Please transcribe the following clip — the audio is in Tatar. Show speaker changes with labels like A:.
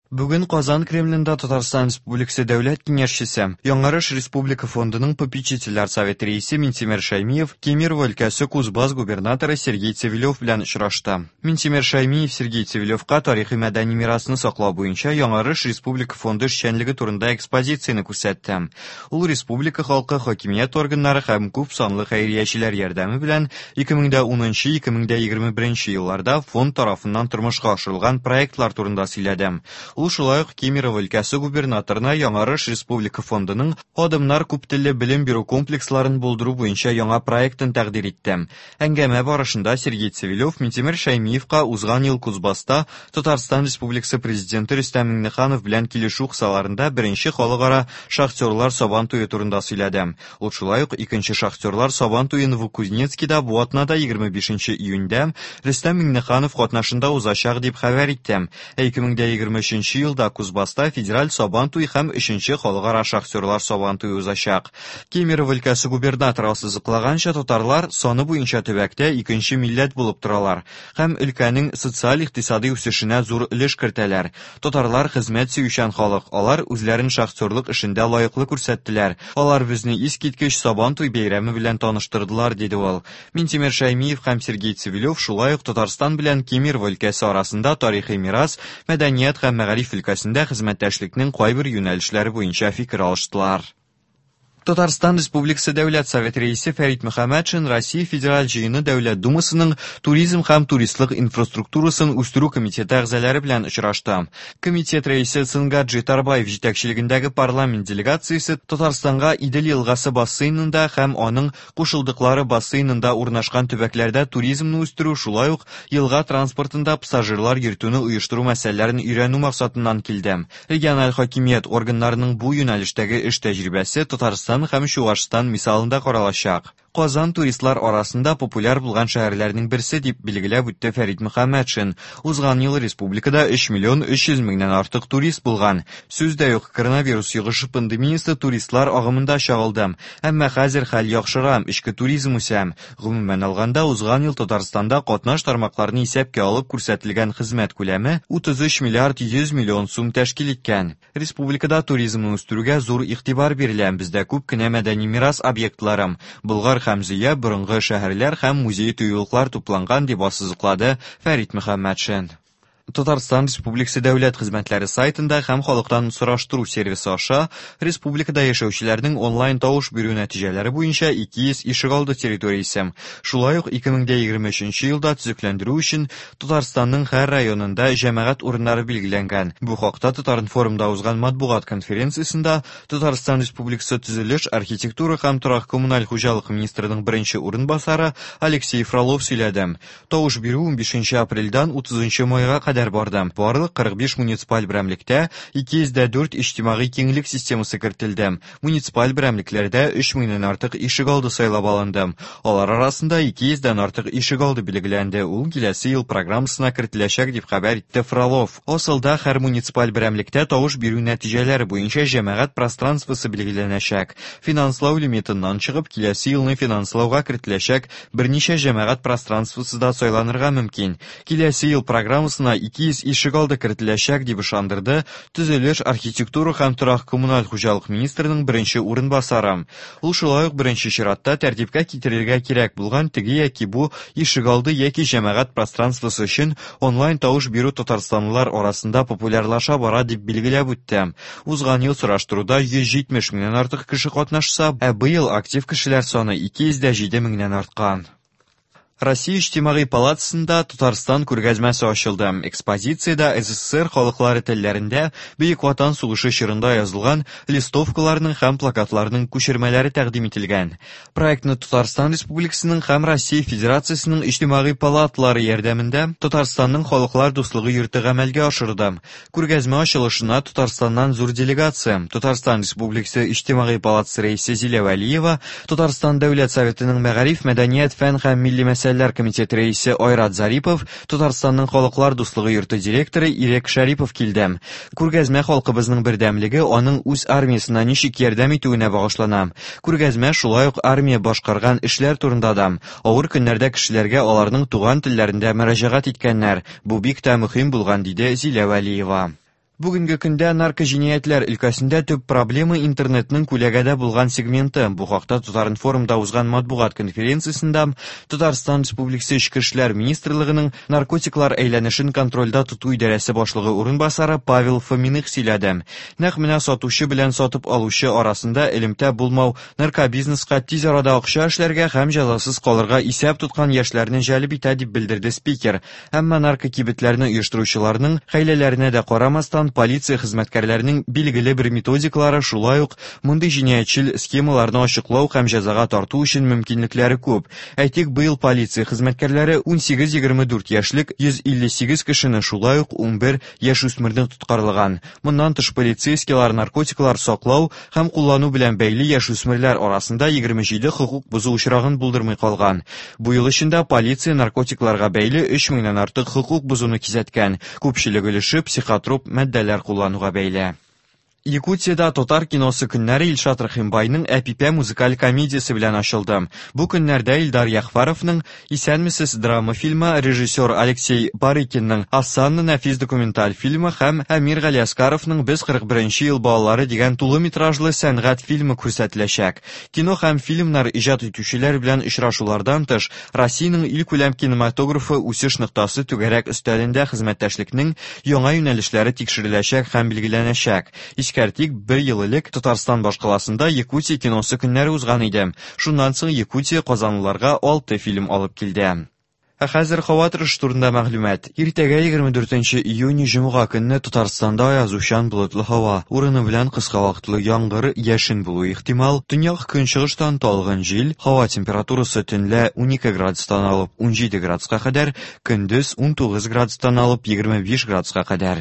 A: Бүген Казан Кремлендә Татарстан Республикасы Дәүләт Киңәшчесе, Яңарыш республика фондының попечительләр советы рәисе Минтимер Шәймиев Кемерово өлкәсе Кузбасс губернаторы Сергей Цивилев белән очрашты. Минтимер Шәймиев Сергей Цивилевка тарихи-мәдәни мирасны саклау буенча Яңарыш республика фонды эшчәнлеге турында экспозицияне күрсәтте. Ул республика халкы, хакимият органнары һәм күп санлы хәйриячеләр ярдәме белән 2010-2021 елларда фонд тарафыннан тормышка ашырылган проектлар турында сөйләде. Ул шулай ук Кемерово өлкәсе губернаторына Яңарыш республика фондының Адымнар күптелле белем бирү комплексларын булдыру буенча яңа проектын тәкъдир итте. Әңгәмә барышында Сергей Цивилев Минтимер Шәймиевка узган ел Кузбасста Татарстан Республикасы Президенты Рөстәм Миңнеханов белән килешү кысаларында беренче халыкара шахтерлар Сабан туе турында сөйләде. Ул шулай ук икенче шахтерлар Сабан туе Новокузнецкида бу атнада 25 июньдә Рөстәм Миңнеханов катнашында узачак дип хәбәр итте. Ә 2023 елда Кузбасста федераль Сабан туе һәм өченче халыкара шахтерлар Сабан туе узачак. Кемерово өлкәсе губернаторы ассызыклаганча, татарлар саны буенча төбәктә икенче милләт булып торалар һәм өлкәнең социаль-икътисадый үсешенә зур өлеш кертәләр. Татарлар хезмәт сөючән халык, алар үзләрен шахтерлык эшендә лаеклы күрсәттеләр. Алар безне искиткеч Сабантуй бәйрәме белән таныштырдылар, диде ул. Минтимер Шәймиев һәм Сергей Цивилев шулай ук Татарстан белән Кемерово өлкәсе арасында тарихи мирас, мәдәният һәм мәгариф өлкәсендә хезмәттәшлекнең кайбер юнәлешләре буенча фикер алыштылар. Татарстан Республикасы Дәүләт Советы Рәисе Фәрит Мөхәммәтшин Россия Федераль Җыены Дәүләт Думасының Туризм һәм туристлык инфраструктурасын үстерү комитеты әгъзалары белән очрашты. Комитет рәисе Цингаджи Тарбаев җитәкчелегендәге парламент делегациясе Татарстанга Идел елгасы бассейнында һәм аның кушылдыклары бассейнында урнашкан төбәкләрдә туризмны үстерү, шулай ук елга транспортында пассажирлар йөртүне оештыру мәсьәләләрен өйрәнү максатыннан килде. Региональ хакимият органнарының бу юнәлештәге эш тәҗрибәсе Татарстан һәм Чуашстан мисалында каралачак. Казан туристлар арасында популяр булган шәһәрләрнең берсе, дип билгеләп үтте Фәрит Мөхәммәтшин. Узган ел республикада 3 миллион 300 меңнән артык турист булган. Сүз дә юк, коронавирус йогышы пандемиясе туристлар агымында чагылды. Әмма хәзер хәл яхшыра, эчке туризм үсә. Гомумән алганда, узган ел Татарстанда катнаш тармакларны исәпкә алып күрсәтелгән хезмәт күләме 33 миллиард 100 миллион сум тәшкил иткән. Республикада туризмны үстерүгә зур игътибар бирелә. Бездә күп кенә мәдәни мирас объектлары, Болгар һәм Зөя, борынгы шәһәрләр һәм музей-тыюлыклар тупланган, дип ассызыклады Фәрит Мөхәммәтшин. Татарстан Республикасы Дәүләт хезмәтләре сайтында һәм халыктан сораштыру сервисы аша республикада яшәүчеләрнең онлайн тавыш бирү нәтиҗәләре буенча 200 ишегалды территориясе, шулай ук 2023 елда төзекләндерү өчен Татарстанның һәр районында җәмәгать урыннары билгеләнгән. Бу хакта Татаринформда узган матбугат конференциясендә Татарстан Республикасы төзелеш, архитектура һәм торак-коммуналь хуҗалык министрының беренче урынбасары Алексей Фролов сөйләде. Тавыш бирү 15 апрельдән 30 майга кадәр барды. Барлык 45 муниципаль берәмлектә 204 иҗтимагый киңлек системасы кертелде. Муниципаль берәмлекләрдә 3 меңнән артык ишегалды сайлап алынды. Алар арасында 200 дән артык ишегалды билгеләнде. Ул киләсе ел программасына кертеләчәк, дип хәбәр итте Фролов. Асылда һәр муниципаль берәмлектә тавыш бирү нәтиҗәләре буенча җәмәгать пространствосы билгеләнәчәк. Финанслау лимитыннан чыгып, киләсе елны финанслауга кертеләчәк берничә җәмәгать пространствосы да сайланырга мөмкин. Киләсе ел программасына 200 ишегалды кертеләчәк, дип ышандырды төзелеш, архитектура һәм торак-коммуналь хуҗалык министрының беренче урынбасары. Ул шулай ук беренче чиратта тәртипкә китерергә кирәк булган теге яки бу ишегалды яки җәмәгать пространствосы өчен онлайн тавыш бирү татарстанлылар арасында популярлаша бара, дип билгеләп үтте. Узган ел сораштыруда 170 меңнән артык кеше катнашса, ә быел актив кешеләр саны 207 меңнән арткан. Россия Иҗтимагый палатасында Татарстан күргәзмәсе ачылды. Экспозициядә СССР халыклары телләрендә Бөек Ватан сугышы чорында язылган листовкаларның һәм плакатларның күчермәләре тәкъдим ителгән. Проектны Татарстан Республикасының һәм Россия Федерациясенең Иҗтимагый палаталары ярдәмендә Татарстанның Халыклар дуслыгы йорты гамәлгә ашырды. Күргәзмә ачылышына Татарстаннан зур делегация, Татарстан Республикасы Иҗтимагый палатасы рәисе Зилә Вәлиева, Татарстан Дәүләт Советының Мәгариф, мәдәният, фән һәм милли мәсьәләләр комитеты рәисе Айрат Зарипов, Татарстанның Халыклар дуслыгы йорты директоры Ирек Шәрипов килде. Күргәзмә халкыбызның бердәмлеге, аның үз армиясенә ничек ярдәм итүенә багышлана. Күргәзмә шулай ук армия башкарган эшләр турында да. Авыр көннәрдә кешеләргә аларның туган телләрендә мөрәҗәгать иткәннәр. Бу бик тә мөһим булган, диде Зилә Вәлиева. Бүгенге көндә наркоҗинаятьләр өлкәсендә төп проблема интернетның күләгәдә булган сегменты. Бу хакта Татар-информда узган матбугат конференциясендә Татарстан Республикасы Эчке эшләр министрлыгының наркотиклар әйләнешен контрольдә тоту идарәсе башлыгы урынбасары Павел Фоминых сөйләде. Нәкъ менә сатучы белән сатып алучы арасында элемтә булмау наркобизнеска тиз арада акча эшләргә һәм җәзасыз калырга исәп тоткан яшьләрне җәлеп итә, дип белдерде спикер. Әмма наркокибетләрне оештыручыларның хәйләләренә дә карамастан, полиция хезмәткәрләренең билгеле бер методикалары, шулай ук мондый җинаятьчел схемаларны ачыклау һәм җәзага тарту өчен мөмкинлекләре күп. Әйтик, быел полиция хезмәткәрләре 18-24 яшьлек 158 кешене, шулай ук 11 яшүсмерне тоткарлаган. Моннан тыш, полицейскийлар наркотиклар саклау һәм куллану белән бәйле яшүсмерләр арасында 27 хокук бозу очрагын булдырмый калган. Бу ел эчендә полиция наркотикларга бәйле 3 меңнән артык хокук бозуны кисәткән. Күпчелек өлеше психотроп матдәләр куллануга бәйле. Якутиядә татар киносы көннәре Илшат Рәхимбайның Әпипә музыкаль комедиясе белән ачылды. Бу көннәрдә Илдар Яхфаровның Исәнмесез драма фильмы, режиссер Алексей Барыкинның Асанна нәфис документаль фильмы һәм Әмир Галиәскаровның Без 41 ел балалары дигән тулы метражлы сәнгать фильмы күрсәтеләчәк. Кино һәм фильмнар иҗат итүчеләр белән очрашулардан тыш, Россиянең илкүләм кинематографы үсеш ноктасы түгәрәк өстәлендә хезмәттәшлекнең яңа юнәлешләре тикшереләчәк һәм билгеләнәчәк. Искәртик, бер ел элек Татарстан башкаласында Якутия киносы көннәре узган иде. Шуннан соң Якутия казанлыларга 6 фильм алып килде. Ә хәзер һава торышы турында мәгълүмат. Иртәгә 24 июнь җомга көнне Татарстанда аязучан болытлы һава, урыны белән кыска вакытлы яңгыр, яшен булуы ихтимал. Төньяк көнчыгыштан талгын җил, һава температурасы төнлә 12 градустан алып 17 градуска кадәр, көндез 19 градустан алып 25 градуска кадәр.